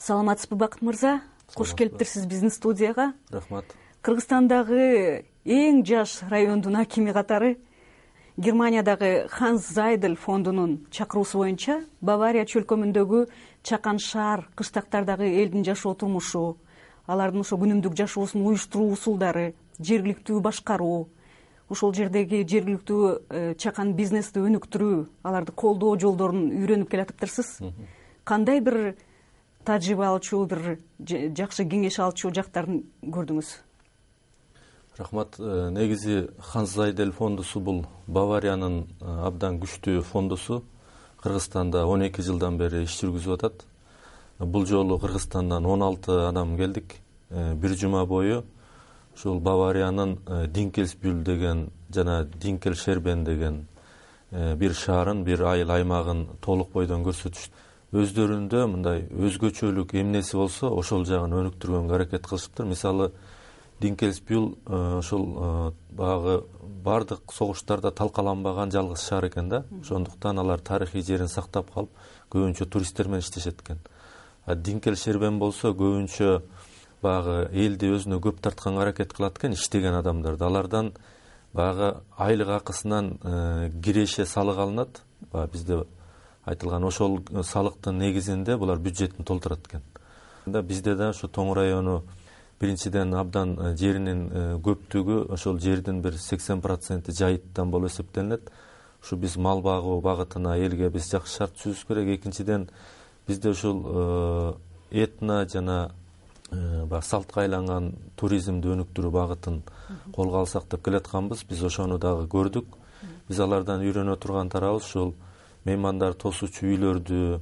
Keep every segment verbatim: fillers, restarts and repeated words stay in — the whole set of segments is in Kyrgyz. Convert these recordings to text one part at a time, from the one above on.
Саламатсызбы Бакыт мырза? Кош келиптирсиз биздин студияга. Рахмат. Кыргызстандагы эң жаш райондун акими катары Германиядагы Ханс Зайдель фондунун чакыруусу боюнча Бавария чөлкөмүндөгү чакан шаар, кыштактардагы элдин жашоо турмушу, алардын ошо күнүмдүк жашоосун уюштуруу усулдары, жергиликтүү башкаруу, ошол жердеги жергиликтүү чакан бизнести өнүктүрүү, аларды колдоо жолдорун үйрөнүп келатыптырсыз. Кандай бир тажрыйба алчу, бир жакшы кеңеш алчу жактарын көрдүңүз? Рахмат. Негизи Ханс Зайдель фондусу бул Бавариянын абдан күчтүү фондусу. Кыргызстанда он эки жылдан бери иш жүргүзүп атат. Бул жолу Кыргызстандан он алты адам келдик. Бир жума бою ушул Бавариянын Динкельсбюль деген жана Динкельшербен деген бир шаарын, бир айыл аймагын толук бойдон көрсөтүштү. Өздөрүндө мындай өзгөчөлүк эмнеси болсо ошол жагын өнүктүргөнгө аракет кылышыптыр. Мисалы, Динкельсбюль ошол багы бардык согуштарда талкаланбаган жалгыз шаар экен да. Ошондуктан алар тарыхый жерин сактап калып, көбүнчө туристтер менен иштешет экен. А Динкельшербен болсо көбүнчө багы элди өзүнө көп тартканга аракет кылат экен, иштеген адамдарды. Алардан багы айлык акысынан киреше салык алынат. Бизде айтылган ошол салыктын негизинде булар бюджетин толтурат экен. Бизде да ошо Тоң району биринчиден абдан жеринин көптүгү, ошол жердин бир сексен проценти жайыттан болуп эсептелинет. Ушу биз мал багуу багытына элге биз жакшы шарт түзүбүз керек. Экинчиден бизде ушул этно жана баягы салтка айланган туризмди өнүктүрүү багытын колго алсак деп келатканбыз. Биз ошону дагы көрдүк. Биз алардан үйрөнө турган тарабыбыз ушул меймандар тосуучу үйлөрдү,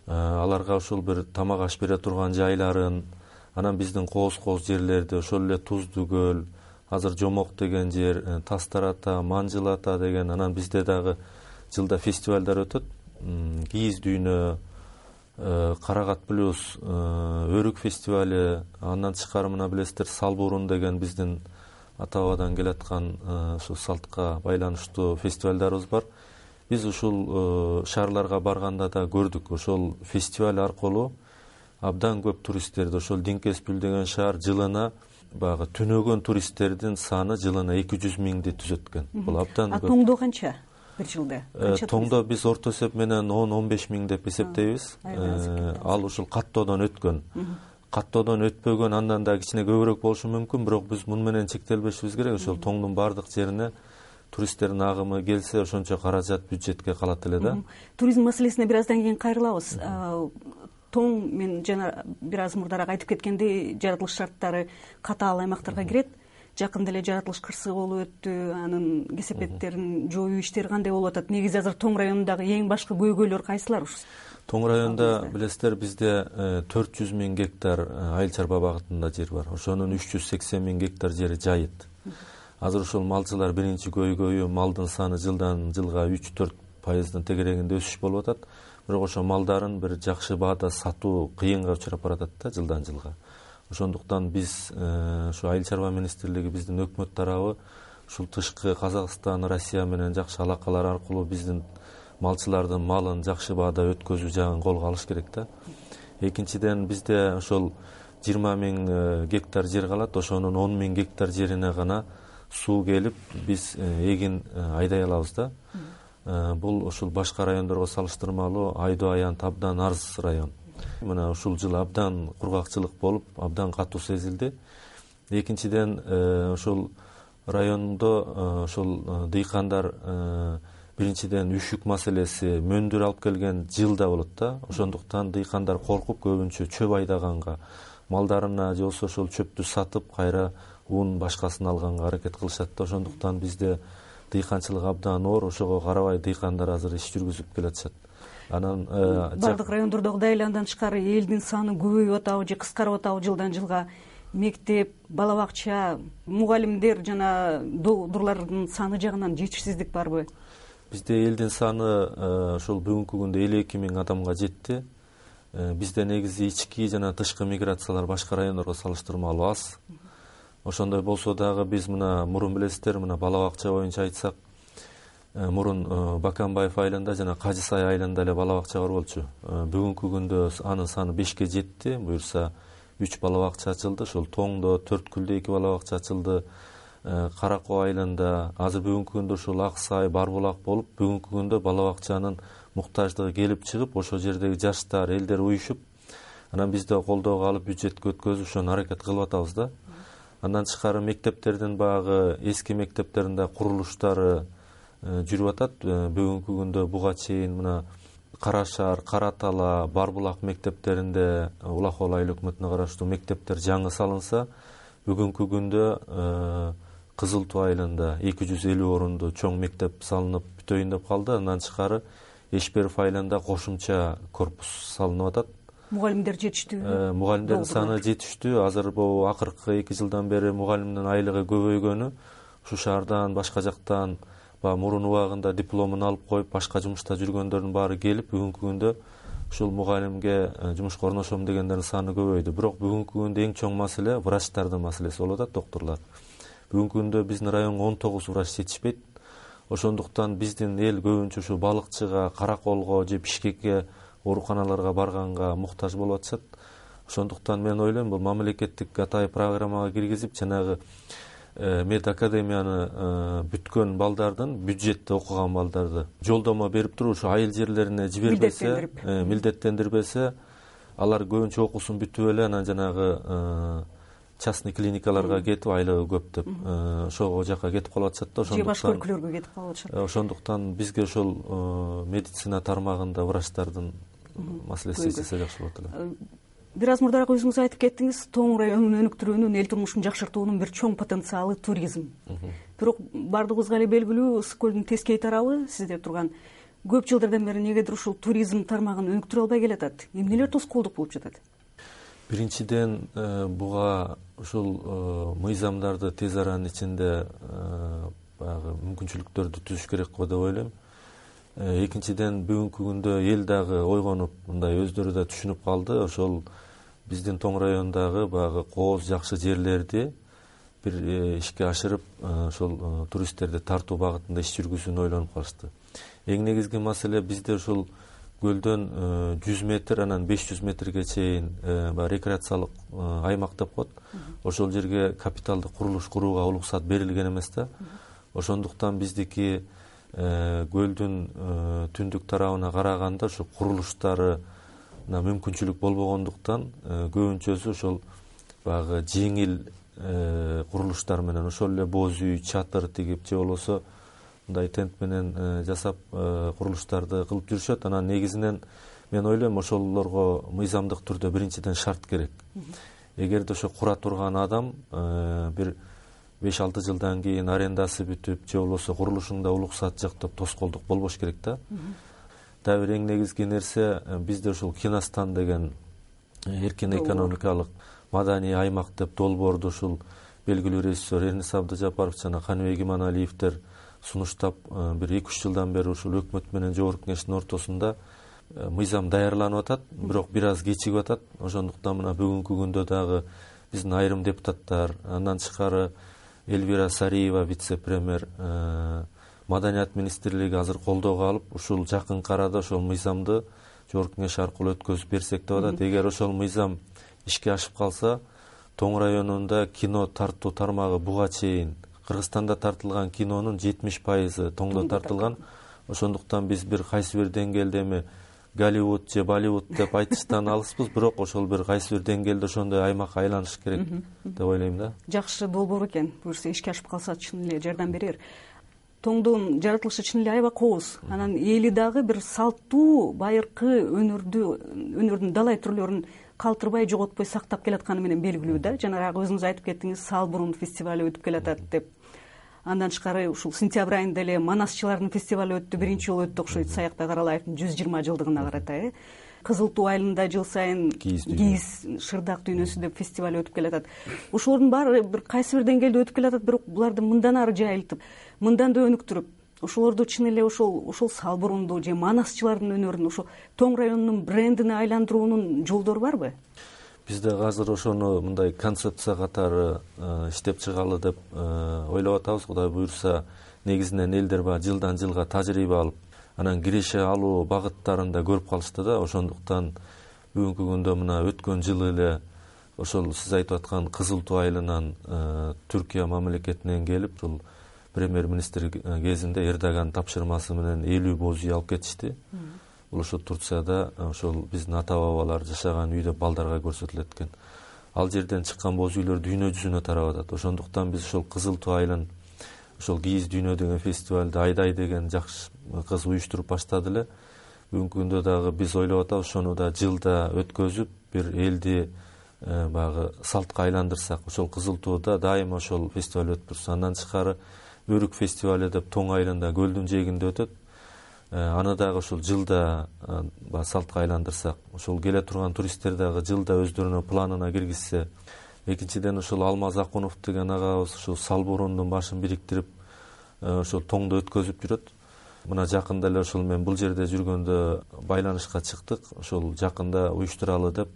аларга ушул бир тамак аш бере турган жайларын, анан биздин кооз-кооз жерлерди, ошол эле Туздуу көл, азыр Жомок деген жер, Тастар ата, Манжыл ата деген, анан бизде дагы жылда фестивалдар өтөт. Кийиз дүйнө, Карагат плюс, Өрүк фестивали, андан тышкары мына билесиздер Салбурун деген биздин ата бабадан келаткан ушу салтка байланыштуу фестивалдарыбыз бар. Биз ушул шаарларга барганда да көрдүк, ошол фестиваль аркылуу абдан көп туристтерди, ошол Динкельсбюль деген шаар жылына баягы түнөгөн туристтердин саны жылына эки жүз миңди түзөт экен. Бул абдан көп. А Тоңдо канча бир жылда? Тоңдо биз орто эсеп менен он он беш миң деп эсептейбиз. Ал ушул каттоодон өткөн. Каттоодон өтпөгөн андан да кичине көбүрөөк болушу мүмкүн, бирок биз муну менен чектелбешибиз керек. Ошол Тоңдун бардык жерине туристтердин агымы келсе, ошончо каражат бюджетке калат эле да. Туризм маселесине бир аздан кийин кайрылабыз. Тоң, мен жана бир аз мурдараак айтып кеткендей, жаратылыш шарттары катаал аймактарга кирет. Жакында эле жаратылыш кырсыгы болуп өттү, анын кесепеттерин жоюу иштери кандай болуп атат? Негизи азыр Тоң районундагы эң башкы көйгөйлөр кайсылар? Тоң районунда билесиздер, бизде төрт жүз миң гектар айыл чарба багытында жер бар. Ошонун үч жүз сексен миң гектар жери жайыт. Азыр ушул малчылар биринчи көйгөйү малдын саны жылдан жылга үч төрт пайыздын тегерегинде өсүш болуп атат. Бирок ошо малдарын бир жакшы баада сатуу кыйынга учурап баратат да жылдан жылга. Ошондуктан биз ушу айыл чарба министрлиги, биздин өкмөт тарабы ушул тышкы Казакстан, Россия менен жакшы алакалар аркылуу биздин малчылардын малын жакшы баада өткөзүү жагын колго алыш керек да. Экинчиден бизде ошол жыйырма миң гектар жер калат. Ошонун он миң гектар жерине гана суу келип биз эгин айдай алабыз да. Бул ушул башка райондорго салыштырмалуу айдоо аянт абдан арз район. Мына ушул жылы абдан кургакчылык болуп, абдан катуу сезилди. Экинчиден ушул райондо ушул дыйкандар биринчиден үшүк маселеси, мөндүр алып келген жылда болот да. Ошондуктан дыйкандар коркуп көбүнчө чөп айдаганга, малдарына же болбосо ошол чөптү сатып кайра ун башкасын алганга аракет кылышат да. Ошондуктан бизде дыйканчылык абдан оор, ошого карабай дыйкандар азыр иш жүргүзүп келатышат. Анан бардык райондордогудай эле андан тышкары элдин саны көбөйүп атабы же кыскарып атабы жылдан жылга? Мектеп, бала бакча, мугалимдер жана доктурлардын саны жагынан жетишсиздик барбы? Бизде элдин саны ошол бүгүнкү күндө элүү эки миң адамга жетти. Бизде негизи ички жана тышкы миграциялар башка райондорго салыштырмалуу аз. Ошондой болсо дагы биз мына мурун билесиздер, мына бала бакча боюнча айтсак, мурун Баканбаев айылында жана Кажы Сай айылында эле бала бакча бар болчу. Бүгүнкү күндө анын саны бешке жетти. Буюрса үч бала бакча ачылды. Ошол Тоңдо, Төрткүлдө эки бала бакча ачылды. Кара Коо айылында азыр бүгүнкү күндө ушул Ак Сай, Барбулак болуп, бүгүнкү күндө бала бакчанын муктаждыгы келип чыгып, ошол жердеги жаштар, элдер уюшуп, анан биз да колдоого алып бюджетке өткөзүп ошону аракет кылып атабыз да. Андан тышкары мектептердин багы, эски мектептердин курулуштары жүрүп атат. Бүгүнкү күндө буга чейин мына Кара Шаар, Кара Тала, Барбулак мектептеринде Улахол айыл өкмөтүнө караштуу мектептер жаңы салынса, бүгүнкү күндө Кызыл Туу айылында эки жүз элүү орунду чоң мектеп салынып бүтөйүн деп калды. Андан тышкары Эшберов айылында кошумча корпус салынып атат. Мугалимдер жетиштүүбү? Мугалимдердин саны жетиштүү. Азыр бул акыркы эки жылдан бери мугалимдин айлыгы көбөйгөнү, ушу шаардан, башка жактан баягы мурун убагында дипломун алып коюп, башка жумушта жүргөндөрдүн баары келип, бүгүнкү күндө ушул мугалимге жумушка орношом дегендердин саны көбөйдү. Бирок бүгүнкү күндө эң чоң маселе врачтардын маселеси болуп атат, доктурлар. Бүгүнкү күндө биздин районго он тогуз врач жетишпейт. Ошондуктан биздин эл көбүнчө ушу балыкчыга, Караколго же Бишкекке, ооруканаларга барганга муктаж болуп атышат. Ошондуктан мен ойлойм, бул мамлекеттик атайын программага киргизип, жанагы мед академияны бүткөн балдардын, бюджетте окуган балдарды жолдомо берип туруп, ушу айыл жерлерине жибербесе, милдеттендирбесе, алар көбүнчө окуусун бүтүп эле анан жанагы частный клиникаларга кетип, айлыгы көп деп ошол жака кетип калып атышат да. Же башка өлкөлөргө кетип калып атышат. Ошондуктан бизге ошол медицина тармагында врачтардын маселеси чечилсе жакшы болот эле. Бир аз мурдараак өзүңүз айтып кеттиңиз, Тоң районунун өнүктүрүүнүн, эл турмушун жакшыртуунун бир чоң потенциалы туризм. Бирок бардыгыбызга эле белгилүү, Ысык көлдүн тескей тарабы сизде турган көп жылдардан бери негедир ушул туризм тармагын өнүктүрө албай келатат. Эмнелер тоскоолдук болуп жатат? Биринчиден, буга ушул мыйзамдарды тез аранын ичинде баягы мүмкүнчүлүктөрдү түзүш керек го деп ойлойм. Экинчиден, бүгүнкү күндө эл дагы ойгонуп, мындай өздөрү да түшүнүп калды. Ошол биздин Тоң районундагы баягы кооз жакшы жерлерди бир ишке ашырып, ошол туристтерди тартуу багытында иш жүргүзүүнү ойлонуп калышты. Эң негизги маселе бизде ушул көлдөн жүз метр, анан беш жүз метрге чейин баягы рекреациялык аймак деп коет. Ошол жерге капиталдык курулуш курууга уруксат берилген эмес да. Ошондуктан биздики көлдүн түндүк тарабына караганда ушу курулуштары мүмкүнчүлүк болбогондуктан көбүнчөсү ошол баягы жеңил курулуштар менен, ошол эле боз үй, чатыр тигип же болбосо мындай тент менен жасап курулуштарды кылып жүрүшөт. Анан негизинен мен ойлойм, ошолорго мыйзамдык түрдө биринчиден шарт керек. Эгерде ошо кура турган адам бир беш алты жылдан кийин арендасы бүтүп же болбосо курулушунда уруксат жок деп тоскоолдук болбош керек да. Дагы бир эң негизги нерсе, бизде ушул Киностан деген эркин экономикалык маданий аймак деп долбоорду ушул белгилүү режиссер Эрнис Абдыжапаров жана Каныбек Иманалиевдер сунуштап, бир эки үч жылдан бери ушул өкмөт менен жогорку кеңештин ортосунда мыйзам даярланып атат, бирок бир аз кечигип атат. Ошондуктан мына бүгүнкү күндө дагы биздин айрым депутаттар, андан тышкары Эльвира Сариева, вице-премьер, Маданият министрлиги азыр колдоого алып, ушул жакынкы арада ошол мыйзамды жогорку кеңеш аркылуу өткөзүп берсек деп атат. Эгер ошол мыйзам ишке ашып калса, Тоң районунда кино тартуу тармагы буга чейин Кыргызстанда тартылган кинонун жетимиш пайызы Тоңдо тартылган. Ошондуктан биз бир кайсы бир деңгээлде эми Голливуд же Болливуд деп айтыштан алыспыз, бирок ошол бир кайсы бир деңгээлде ошондой аймакка айланыш керек деп ойлойм да. Жакшы долбоор экен. Буюрса ишке ашып калса чын эле жардам берер. Тоңдун жаратылышы чын эле аябай кооз. Анан эли дагы бир салттуу байыркы өнөрдү, өнөрдүн далай түрлөрүн калтырбай, жоготпой сактап келатканы менен белгилүү да. Жанагы өзүңүз айтып кеттиңиз, Салбурун фестивалю өтүп келатат деп. Андан тышкары ушул сентябрь айында эле Манасчылардын фестивалю өттү, биринчи жолу өттү окшойт, Саякбай Каралаевдин жүз жыйырма жылдыгына карата. Кызыл Туу айылында жыл сайын кийиз шырдак дүйнөсү деп фестиваль өтүп келатат. Ошолордун баары бир кайсы бир деңгээлде өтүп келатат, бирок буларды мындан ары жайылтып, мындан да өнүктүрүп, ошолорду чын эле ошол ошол Салбурунду же Манасчылардын өнөрүн ошо Тоң районунун брендине айландыруунун жолдору барбы? Бизде азыр ошону мындай концепция катары иштеп чыгалы деп ойлоп атабыз. Кудай буюрса, негизинен элдер баягы жылдан жылга тажрыйба алып анан киреше алуу багыттарын да көрүп калышты да. Ошондуктан бүгүнкү күндө мына өткөн жылы эле ошол сиз айтып аткан Кызыл Туу айылынан Түркия мамлекетинен келип, ушул премьер-министр кезинде Эрдоган тапшырмасы менен элүү боз үй алып кетишти. Бул ошо Турцияда ошол биздин ата бабалар жашаган үйдө балдарга көрсөтүлөт экен. Ал жерден чыккан боз үйлөр дүйнө жүзүнө тарап атат. Ошондуктан биз ошол Кызыл Туу айылын, ошол Кийиз дүйнө деген фестивалды Айдай деген жакшы кыз уюштуруп баштады эле. Бүгүнкү күндө дагы биз ойлоп атабыз, ошону да жылда өткөзүп, бир элди баягы салтка айландырсак. Ошол Кызыл Тууда дайыма ошол фестиваль өтүп турса, андан тышкары Өрүк фестиваль деп Тоң айылында көлдүн жээгинде өтөт. Аны дагы ошол жылда салтка айландырсак, ошол келе турган туристтер дагы жылда өздөрүнүн планына киргизсе. Экинчиден, ошол Алмаз Акунов деген агабыз ушул Салбурундун башын бириктирип, ошол Тоңдо өткөзүп жүрөт. Мына жакында эле ошол мен бул жерде жүргөндө байланышка чыктык, ошол жакында уюштуралы деп,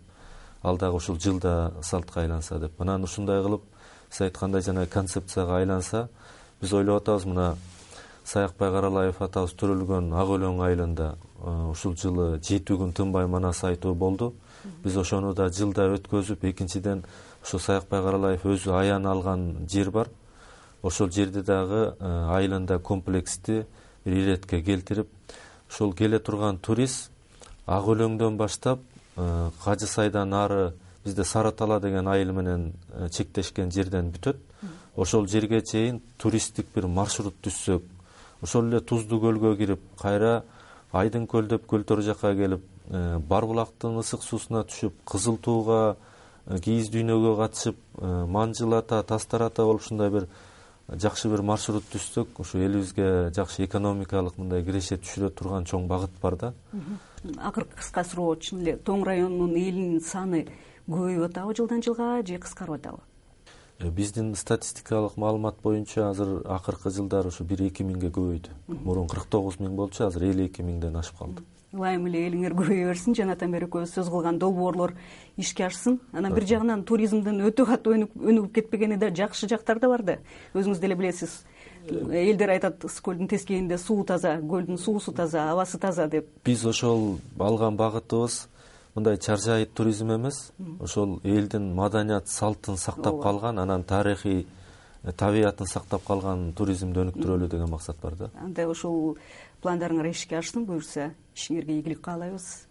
ал дагы ушул жылда салтка айланса деп. Анан ушундай кылып, сиз айткандай жана концепцияга айланса, биз ойлоп атабыз, мына Саякбай Каралаев атабыз төрөлгөн Ак Өлөң айылында ушул жылы жети күн тынбай манас айтуу болду. Биз ошону да жылда өткөзүп, экинчиден ошо Саякбай Каралаев өзү аян алган жер бар. Ошол жерди дагы айылында комплексти бир иретке келтирип, ошол келе турган турист Ак Өлөңдөн баштап Кажы Сайдан ары бизде Сары Тала деген айыл менен чектешкен жерден бүтөт. Ошол жерге чейин туристтик бир маршрут түзсөк, ошол эле Туздуу көлгө кирип, кайра Айдын көл деп көлтөр жакка келип, Барбулактын ысык суусуна түшүп, Кызыл Тууга, Кийиз дүйнөгө катышып, Манжыл ата, Тастар ата болуп ушундай бир жакшы бир маршрут түзсөк, ошо элибизге жакшы экономикалык мындай киреше түшүрө турган чоң багыт бар да. Акыркы кыска суроо, чын эле Тоң районунун элинин саны көбөйүп атабы жылдан жылга же кыскарып атабы? Биздин статистикалык маалымат боюнча азыр акыркы жылдары ушу бир эки миңге көбөйдү. Мурун кырк тогуз миң болчу, азыр элүү эки миңден ашып калды. Ылайым эле элиңер көбөйө берсин, жанатан бери экөөбүз сөз кылган долбоорлор ишке ашсын. Анан бир жагынан туризмдин өтө катуу өнүгүп кетпегени да жакшы жактар да бар да. Өзүңүз деле билесиз. Элдер айтат, Ысык көлдүн тескейинде суу таза, көлдүн суусу таза, абасы таза деп. Биз ошол алган багытыбыз мындай чаржай туризм эмес, ошол элдин маданият салтын сактап калган, анан тарыхый табиятын сактап калган туризмди өнүктүрөлү деген максат бар да. Анда ошол пландарыңар ишке ашсын, буюрса ишиңерге ийгилик каалайбыз.